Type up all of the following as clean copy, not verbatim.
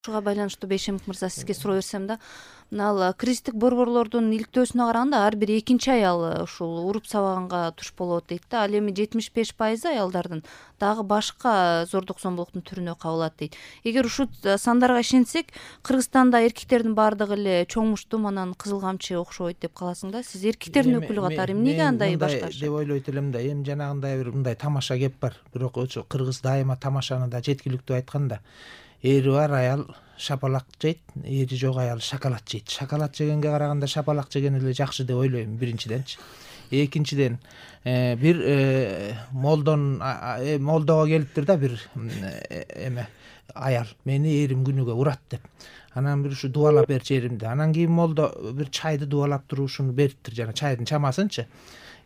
Ушуга байланыштуу Бейшемик мырза сизге суроо берсем да, мына кризистик борборлордун иликтөөсүнө караганда ар бир экинчи аял ушул уруп сабаганга туш болот дейт да. Ал эми 75% аялдардын дагы башка зордук зомбулуктун түрүнө кабылат дейт. Эгер ушул сандарга ишенсек, Кыргызстанда эркектердин баардыгы эле чоңмуштум, анан кызыл камчы окшобойт деп каласың да. Сиз эркектердин өкүлү катары эмнеге андай башкача деп ойлойт элем да. Эми жанагындай бир мындай тамаша кеп бар. Бирок ошо кыргыз дайыма тамашаны да жеткиликтүү айтканда, эри бар аял шапалак жейт, эри жок аял шоколад жейт. Шоколад жегенге караганда шапалак жеген эле жакшы деп ойлойм, биринчиденчи. Экинчиден, бир молдого келиптир да бир эме аял, мени эрим күнүгө урат деп. Анан бир ушу дубалап берчи эримди. Анан кийин молдо бир чайды дубалап туруп ушуну бериптир, жана чайдын чамасынчы.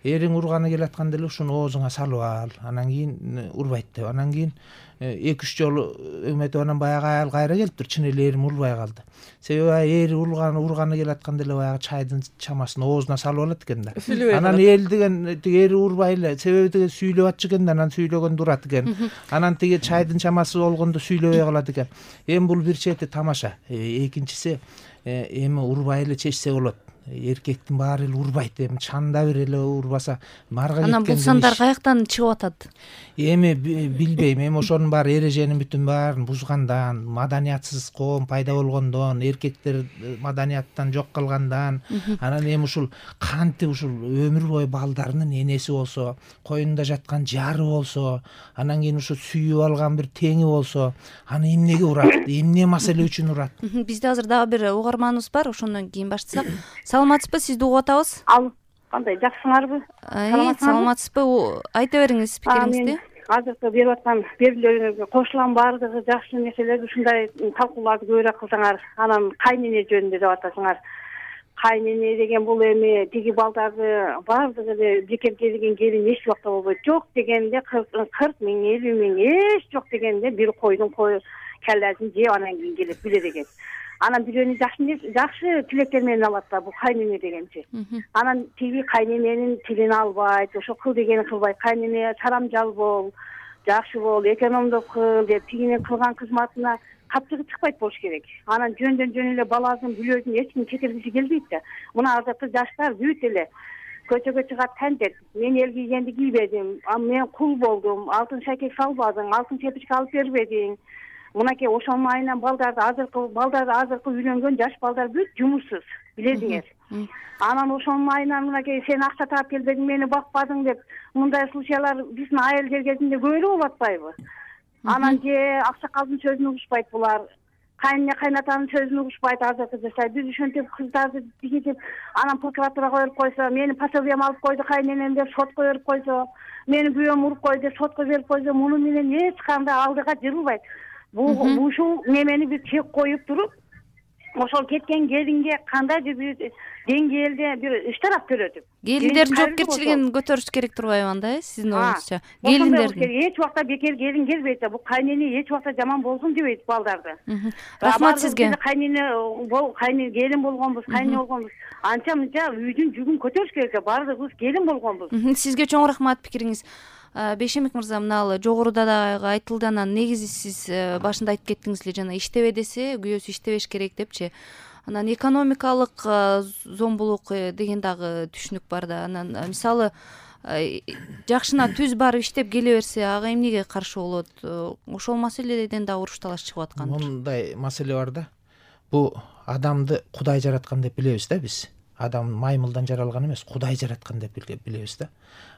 Эриң урганы келатканда эле ушуну оозуңа салып ал, анан кийин урбайт деп. Анан кийин 2-3 жолу эметип анан баягы аял кайра келиптир, чын эле эрим урбай калды. Себеби эри урганы келатканда эле баягы чайдын чамасын оозуна салып алат экен да. Анан эл деген тиги эри урбай эле, себеби тиги сүйлөп атчу экен да, анан сүйлөгөндө урат экен. Анан тиги чайдын чамасы болгондо сүйлөбөй калат экен. Эми бул бир чети тамаша. Экинчиси, эми урбай эле чечсе болот. Эркектин баары эле урбайт, эми чанда бир эле урбаса марга кеткен. Анан бул сандар каяктан чыгып атат? Эми билбейм, эми ошонун баары эреженин бүтүн баарын бузгандан, маданиятсыз коом пайда болгондон, эркектер маданияттан жок калгандан, анан эми ушул кантип ушул өмүр бою балдарынын энеси болсо, коюнунда жаткан жары болсо, анан кийин ушу сүйүп алган бир теңи болсо, аны эмнеге урат, эмне маселе үчүн урат? Бизде азыр дагы бир угарманыбыз бар, ошондон кийин баштасак. Саламатсызбы, сизди угуп атабыз. Ал кандай, жакшысыңарбы? Саламатсызбы? Айта бериңиз пикириңизди. Азыркы берип аткан берүүлөрүңөргө кошулам, баардыгы жакшы нерселер, ушундай талкууларды көбүрөөк кылсаңар. Анан кайнене жөнүндө деп атасыңар. Кайнене деген бул эми тиги балдарды баардыгы эле бекер келген келин эч убакта болбойт. Жок дегенде 40 миң, 50 миң, эч жок дегенде бир койдун келлесин жеп анан кийин келип билет экен. Анан бирөөнү жакшы тилектер менен алат да, бул кайнене дегенчи. Анан тиги кайнененин тилин албайт, ошо кыл дегенин кылбайт. Кайнене чарамжал бол, жакшы бол, экономдук кыл деп тигинин кылган кызматына капчыгы чыкпайт болуш керек. Анан жөндөн жөн эле баласын, бүлөсүн эч ким четиргиси келбейт да. Мына азыркы жаштар бүт эле көчөгө чыгат, тантет. Мен эл кийгенди кийбедим, мен кул болдум, алтын шакек салбадың, алтын чепичке алып бербедиң. Мынакей ошонун айынан азыркы үйлөнгөн жаш балдар бүт жумушсуз, билесиңер. Анан ошонун айынан мынакей сен акча таап келбедиң, мени бакпадың деп мындай случайлар биздин айыл кезинде көп эле болуп атпайбы? Анан же аксакалдын сөзүн угушпайт булар, кайнене кайнатанын сөзүн угушпайт азыркы жаштар. Биз ушинтип кыздарды бигитип, анан прокуратурага берип койсо, мени пособием алып койду кайненем деп сотко берип койсо, мени күйөөм уруп койду деп сотко берип койсо, муну менен эч кандай алдыга жырылбайт. Ушул немени бир чек коюп туруп, ошол кеткен келинге кандайдыр бир деңгээлде бир иштарап көрөтүп. Келиндердин жоопкерчилигин көтөрүш керек турбайбы анда, сиздин оюңузча? Келиндердин эч убакта бекер келин келбейт да, бул кайнене эч убакта жаман болсун дебейт балдарды. Рахмат сизге. Кайнене келин болгонбуз, кайнене болгонбуз. Анча мынча үйдүн жүгүн көтөрүш керек, баардыгыбыз келин болгонбуз. Сизге чоң рахмат пикириңиз. Бейшемик мырза, мына жогоруда дагы айтылды, анан негизи сиз башында айтып кеттиңиз эле, жана иштебе десе күйөөсү иштебеш керек депчи. Анан экономикалык зомбулук деген дагы түшүнүк бар да. Анан мисалы жакшына түз барып иштеп келе берсе, ага эмнеге каршы болот? Ошол маселеден дагы уруш талаш чыгып аткан. Мындай маселе бар да. Бул адамды Кудай жараткан деп билебиз да биз. Адам маймылдан жаралган эмес, Кудай жараткан деп билебиз да.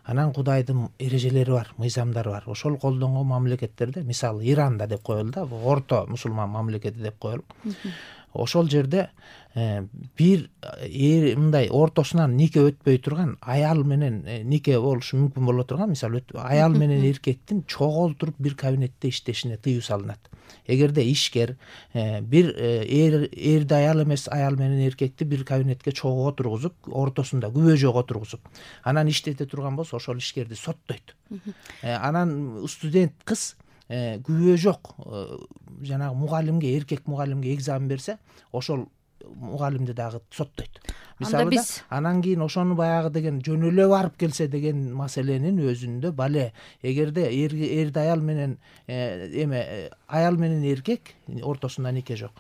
Анан Кудайдын эрежелери бар, мыйзамдары бар. Ошол колдонгон мамлекеттерде, мисалы Иранда деп коелу да, орто мусулман мамлекети деп коелу. Ошол жерде бир мындай ортосунан нике өтпөй турган аял менен нике болушу мүмкүн боло турган, мисалы аял менен эркектин чогултуруп бир кабинетте иштешине тыюу салынат. Эгерде ишкер бир эрди аял эмес, аял менен эркекти бир кабинетке чогуу отургузуп, ортосунда күбө жок отургузуп, анан иштете турган болсо, ошол ишкерди соттойт. Анан студент кыз күбө жок жанагы мугалимге, эркек мугалимге экзамен берсе, ошол мугалимди дагы соттойт. мисалы да анан кийин ошону баягы деген жөн эле барып келсе деген маселенин өзүндө бале эгерде эрди аял менен аял менен эркек ортосунда нике жок,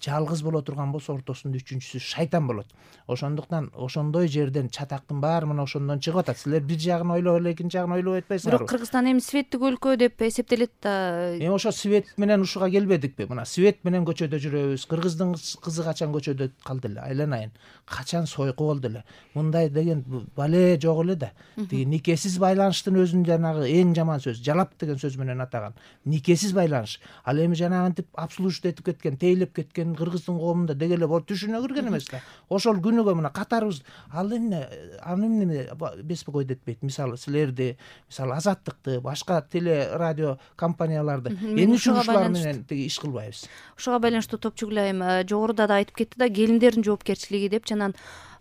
жалгыз боло турган болсо ортосунда үчүнчүсү шайтан болот. Ошондуктан ошондой жерден чатактын баары мына ошондон чыгып атат. Силер бир жагын ойлоп эле экинчи жагын ойлобой атпайсыңарбы? Бирок Кыргызстан эми светтик өлкө деп эсептелет да. Ошо свет менен ушуга келбедикпи? Мына свет менен көчөдө жүрөбүз. Кыргыздын кызы качан көчөдө калды эле? Айланайын. Качан сойку болду эле? Мындай деген бале жок эле да. Тиги никесиз байланыштын өзүн жанагы эң жаман сөз, жалап деген сөз менен атаган. Никесиз байланыш. Ал эми жанагынтип абсолютно этип кеткен, тейлеп кеткен Кыргыздын коомунда деги эле түшүнө кирген эмес да. Ошол күнүгө мына катарыбыз ал эмне беспокоить этпейт. Мисалы силерди, мисалы Азаттыкты, башка теле радио компанияларды эмне үчүн ушулар менен тиги иш кылбайбыз? Ушуга байланыштуу Топчугүл айым жогоруда да айтып кетти да, келиндердин жоопкерчилиги деп. Жанан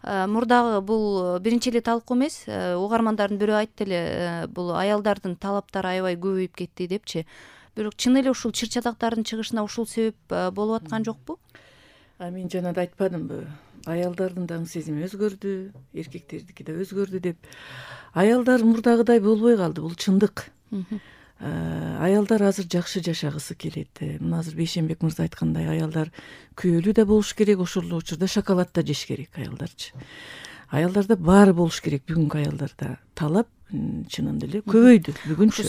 мурдагы бул биринчи эле талкуу эмес, угармандардын бирөө айтты эле, бул аялдардын талаптары аябай көбөйүп кетти депчи. Бирок чын эле ушул чыр чатактардын чыгышына ушул себеп болуп аткан жокпу? Мен жана да айтпадымбы, аялдардын да сезими өзгөрдү, эркектердики да өзгөрдү деп. Аялдар мурдагыдай болбой калды, бул чындык. Аялдар азыр жакшы жашагысы келет. Мына азыр Бейшенбек мырза айткандай, аялдар күйөөлүү да болуш керек, ошол эле учурда шоколад да жеш керек аялдарчы. Аялдарда баары болуш керек. Бүгүнкү аялдарда талап чынында эле көбөйдү бүгүнчү.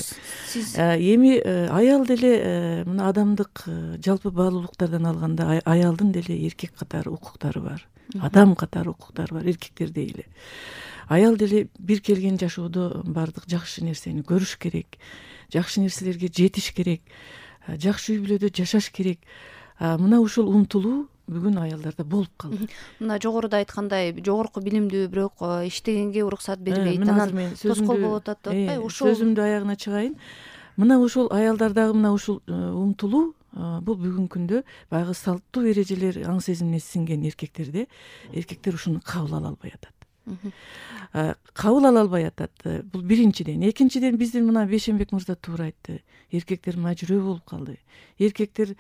Эми аял деле мына адамдык жалпы баалуулуктардан алганда аялдын деле эркек катары укуктары бар, адам катары укуктары бар, эркектердей эле. Аял деле бир келген жашоодо баардык жакшы нерсени көрүш керек, жакшы нерселерге жетиш керек, жакшы үй бүлөдө жашаш керек. Мына ушул умтулуу бүгүн аялдарда болуп калды. Мына жогоруда айткандай, жогорку билимдүү, бирок иштегенге уруксат бербейт, анан тоскоол болуп атат деп атпайбы? Ошол сөзүмдү аягына чыгайын. Мына ушул аялдардагы мына ушул умтулуу бул бүгүнкү күндө баягы салттуу эрежелер аң сезимине сиңген эркектерде эркектер ушуну кабыл ала албай атат. Кабыл ала албай атат. Бул биринчиден. Экинчиден, биздин мына Бейшенбек мырза туура айтты. Эркектер мажүрөө болуп калды. Эркектер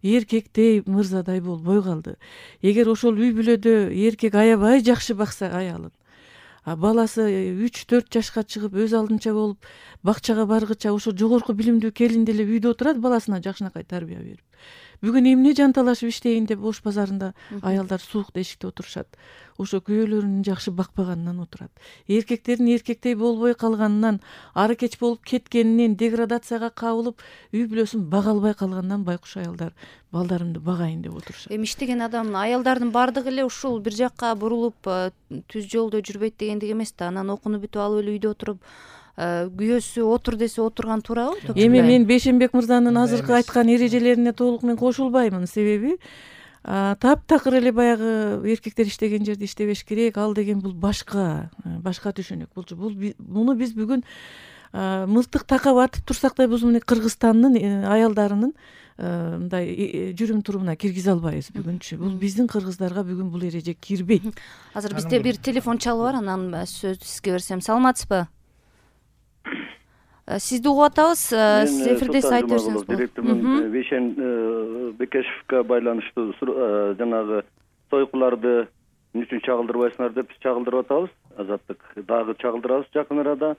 эркектей, мырзадай болбой калды. Эгер ошол үй бүлөдө эркек аябай жакшы бакса аялын, баласы 3-4 жашка чыгып өз алдынча болуп бакчага баргыча ошо жогорку билимдүү келин деле үйдө отурат, баласына жакшынакай тарбия берип. Бүгүн эмне жанталашып иштейин деп ош базарында аялдар суукта эшикте отурушат. Ошо күйөөлөрүнүн жакшы бакпаганынан отурат. Эркектердин эркектей болбой калганынан, ары кеч болуп кеткенинен, деградацияга кабылып, үй бүлөсүн бага албай калганынан байкуш аялдар балдарымды багайын деп отурушат. Эми иштеген адам, аялдардын баардыгы эле ушул бир жакка бурулуп түз жолдо жүрбөйт дегендик эмес да. Анан окууну бүтүп алып эле үйдө отуруп күйөөсү отур десе отурган туурабы? Эми мен Бейшенбек мырзанын азыркы айткан эрежелерине толук мен кошулбаймын. Себеби таптакыр эле баягы эркектер иштеген жерде иштебеш керек, ал деген бул башка түшүнүк. Муну биз бүгүн мылтык такап атып турсак да биз мына Кыргызстандын аялдарынын мындай жүрүм турумуна киргизе албайбыз бүгүнчү. Бул биздин кыргыздарга бүгүн бул эреже кирбейт. Азыр бизде бир телефон чалуу бар, анан сөздү сизге берсем. Саламатсызбы? Сизди угуп атабыз. Сиз эфирде айтып берсеңиз болот. Бейшен Бекешевке байланыштуу жанагы сойкуларды эмне үчүн чагылдырбайсыңар деп биз чагылдырып атабыз. Азаттык дагы чагылдырабыз жакын арада.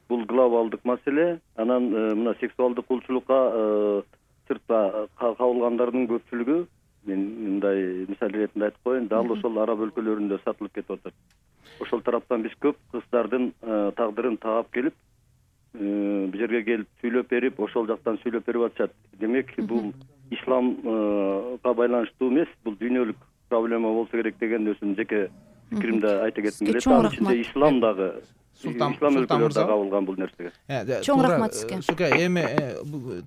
Бул глобалдык маселе. Анан мына сексуалдык кулчулукка сыртта кабылгандардын көпчүлүгү, мен мындай мисал иретинде айтып коеюн, дал ошол араб өлкөлөрүндө сатылып кетип атат. Ошол тараптан биз көп кыздардын тагдырын таап келип, бул жерге келип сүйлөп берип, ошол жактан сүйлөп берип атышат. Демек, бул исламга байланыштуу эмес, бул дүйнөлүк проблема болсо керек деген өзүмдүн жеке пикиримди айта кетким келет. Ал ичинде ислам дагы ислам өлкөлөрүндө кабылган бул нерсеге. Чоң рахмат сизге. Сука, эми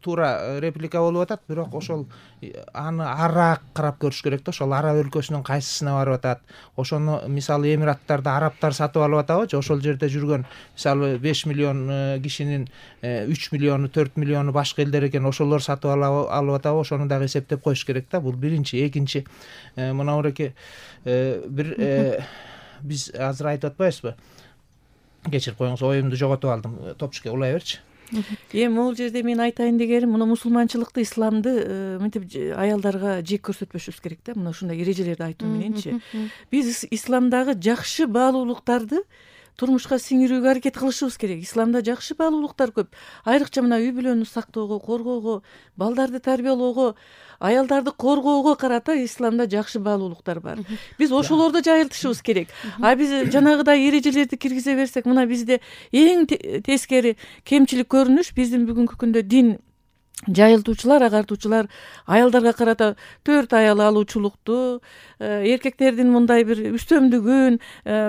туура реплика болуп атат, бирок ошол аны араак карап көрүш керек да. Ошол араб өлкөсүнүн кайсысына барып атат? Ошону мисалы Эмираттарда арабтар сатып алып атабы же ошол жерде жүргөн мисалы 5 миллион кишинин 3 миллиону 4 миллиону башка элдер экен, ошолор сатып алып атабы? Ошону дагы эсептеп коюш керек да. Бул биринчи. Экинчи, мына буреке бир биз азыр айтып атпайбызбы? Кечирип коюңуз, оюмду жоготуп алдым. Топчуке улай берчи. Эми могул жерде мен айтайын дегеним, мына мусулманчылыкты, исламды мынтип аялдарга жек көрсөтпөшүбүз керек да. Мына ушундай эрежелерди айтуу мененчи биз исламдагы жакшы баалуулуктарды турмушка сиңирүүгө аракет кылышыбыз керек. Исламда жакшы баалуулуктар көп. Айрыкча мына үй бүлөнү сактоого, коргоого, балдарды тарбиялоого, аялдарды коргоого карата исламда жакшы баалуулуктар бар. Биз ошолорду жайылтышыбыз керек. А биз жанагыдай эрежелерди киргизе берсек, мына бизде эң тескери кемчилик көрүнүш биздин бүгүнкү күндө дин жайылтуучулар, агартуучулар аялдарга карата 4 аял алуучулукту, эркектердин мындай бир үстөмдүгүн,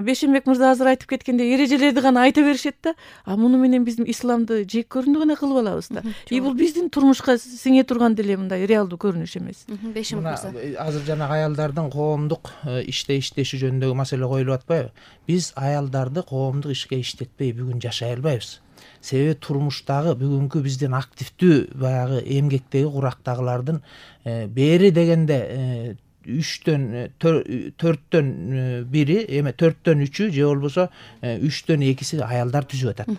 Бейшенбек мырза азыр айтып кеткендей эрежелерди гана айта беришет да. А муну менен биз исламды жек көрүндү гана кылып алабыз да. Бул биздин турмушка сиңе турган деле мындай реалдуу көрүнүш эмес. Бейшенбек мырза. Азыр жана аялдардын коомдук иштеши жөнүндөгү маселе коюлуп атпайбы? Биз аялдарды коомдук ишке иштетпей бүгүн жашай албайбыз. Себеби турмуштагы бүгүнкү биздин активдүү баягы эмгектеги курактагылардын бери дегенде 3төн 4төн 1-и, эме 4төн 3-ү же болбосо 3төн 2си аялдар түзүп атат.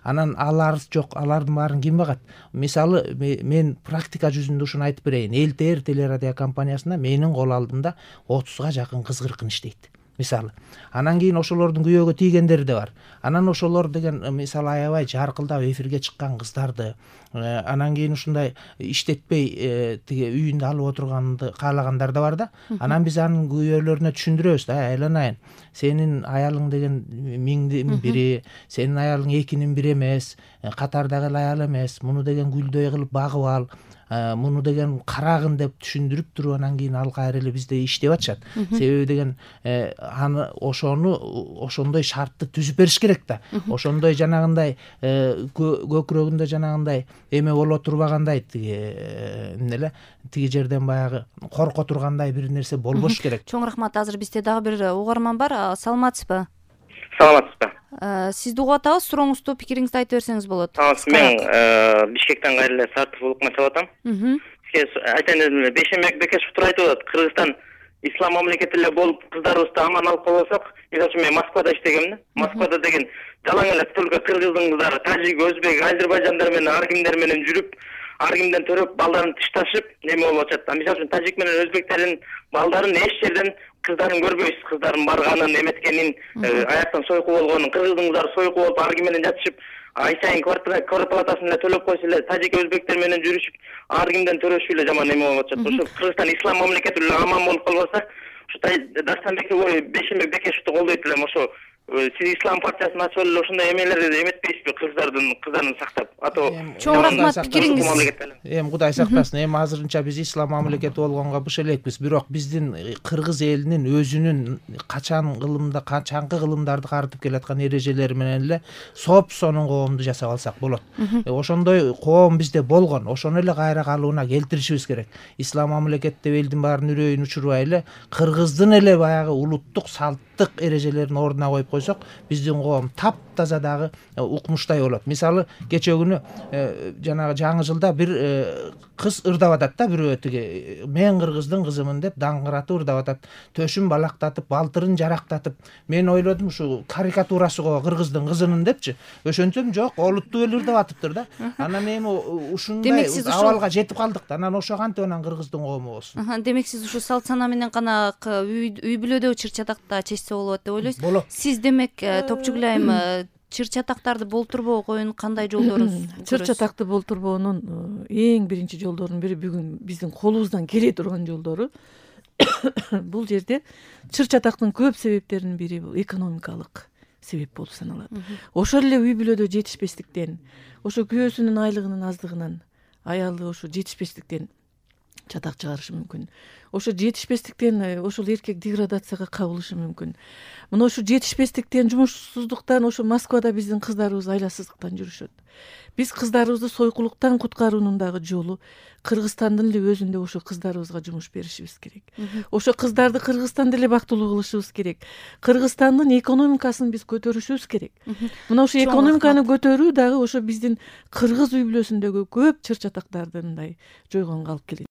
Анан алар жок, алардын баарын ким багат? Мисалы мен практика жүзүндө ушуну айтып берейин. ЛТР телерадио компаниясында менин кол алдымда 30га жакын кыз-кыркын иштейт. Мисалы. Анан кийин ошолордун күйөөгө тийгендери да бар. Анан ошолор деген мисалы аябай жаркылдап эфирге чыккан кыздарды, анан кийин ушундай иштетпей тиги үйүндө алып отурганды каалагандар да бар да. Анан биз анын күйөөлөрүнө түшүндүрөбүз да, айланайын. Сенин аялың деген 1000дин бири, сенин аялың 2нин бири эмес, катардагы эле аял эмес. Муну деген гүлдөй кылып багып ал. Муну деген карагын деп түшүндүрүп туруп анан кийин ал кайра эле бизде иштеп атышат. Себеби деген аны ошондой шартты түзүп бериш керек да. Ошондой жанагындай көкүрөгүндө жанагындай эме боло турбагандай тиги жерден баягы корко тургандай бир нерсе болбош керек. Чоң рахмат. Азыр бизде дагы бир угарман бар. Саламатсызбы? Саламатсызбы? Сизди угуп атабыз. Сурооңузду, пикириңизди айтып берсеңиз болот. Мен Бишкектен кайра эле Сартов улукман чалып атам. Сизге айтайын дедим, Бейшенбек Бекешев туура айтып атат. Кыргызстан ислам мамлекети эле болуп, кыздарыбызды аман алып калбасак, мисалы үчүн мен Москвада иштегем да. Москвада деген жалаң эле только кыргыздын кыздары, тажик, өзбек, азербайжандар менен, ар кимдер менен жүрүп, ар кимден төрөп, балдарын тышташып, неме болуп атат. Мисалы үчүн тажик менен өзбектердин балдарын эч жерден кыздарын көрбөйсүз. Кыздардын барганын, эметкенин, аяктан сойку болгонун, кыргыздын кыздары сойку болуп, ар ким менен жатышып, ай сайын квартплатасын эле төлөп койсо эле, тажик өзбектер менен жүрүшүп, ар кимден төрөшүп эле жаман неме болуп атат. Ошо Кыргызстан ислам мамлекети эле аман болуп калбаса, ушу Дастанбек Бейшенбек Бекешевди колдойт элем. Ошо сиз ислам партиясын ачып эле ошондой эмелерди эметпейсизби, кыздарын сактап? Чоң рахмат пикириңиз. Эми Кудай сактасын. Эми азырынча биз ислам мамлекети болгонго буш элекпиз. Бирок биздин кыргыз элинин өзүнүн качанкы кылымдарды карытып келаткан эрежелери менен эле сонун коомду жасап алсак болот. Ошондой коом бизде болгон. Ошону эле кайра калыбына келтиришибиз керек. Ислам мамлекет деп элдин баарын үрөйүн учурбай эле кыргыздын эле баягы улуттук салттык эрежелерин ордуна коюп койсок, биздин коом таптаза дагы укмуштай болот. Мисалы, кечээ күнү жанагы жаңы жылда бир кыз ырдап атат да, бирөө тиги мен кыргыздын кызымын деп даңгыратып ырдап атат. Төшүн балактатып, балтырын жарактатып. Мен ойлодум, ушу карикатурасы го кыргыздын кызынын депчи. Ошентсем жок, олуттуу эле ырдап атыптыр да. Анан эми ушундай абалга жетип калдык да. Анан ошо кантип анан кыргыздын коому болсун. Демек сиз ушу салт сана менен гана үй бүлөдө чыр-чатакта чечсе болот деп ойлойсуз. Сиз демек Топчугулайым чыр-чатактарды болтурбоо коюунун кандай жолдорун көрөсүз? Чыр-чатакты болтурбоонун эң биринчи жолдорунун бири бүгүн биздин колубуздан келе турган жолдору бул жерде чыр-чатактын көп себептеринин бири бул экономикалык себеп болуп саналат. Ошол эле үй бүлөдө жетишпестиктен, ошо күйөөсүнүн айлыгынын аздыгынан, аялы ошо жетишпестиктен чатак чыгарышы мүмкүн. Ошо жетишпестиктен ошол эркек деградацияга кабылышы мүмкүн. Мына ошо жетишпестиктен, жумушсуздуктан ошо Москвада биздин кыздарыбыз айласыздыктан жүрүшөт. Биз кыздарыбызды сойкулуктан куткаруунун дагы жолу Кыргызстандын эле өзүндө ошо кыздарыбызга жумуш беришибиз керек. Ошо кыздарды Кыргызстанда эле бактылуу кылышыбыз керек. Кыргызстандын экономикасын биз көтөрүшүбүз керек. Мына ошо экономиканы көтөрүү дагы ошо биздин кыргыз үй бүлөсүндөгү көп чыр-чатактарды мындай жойгонго алып келет.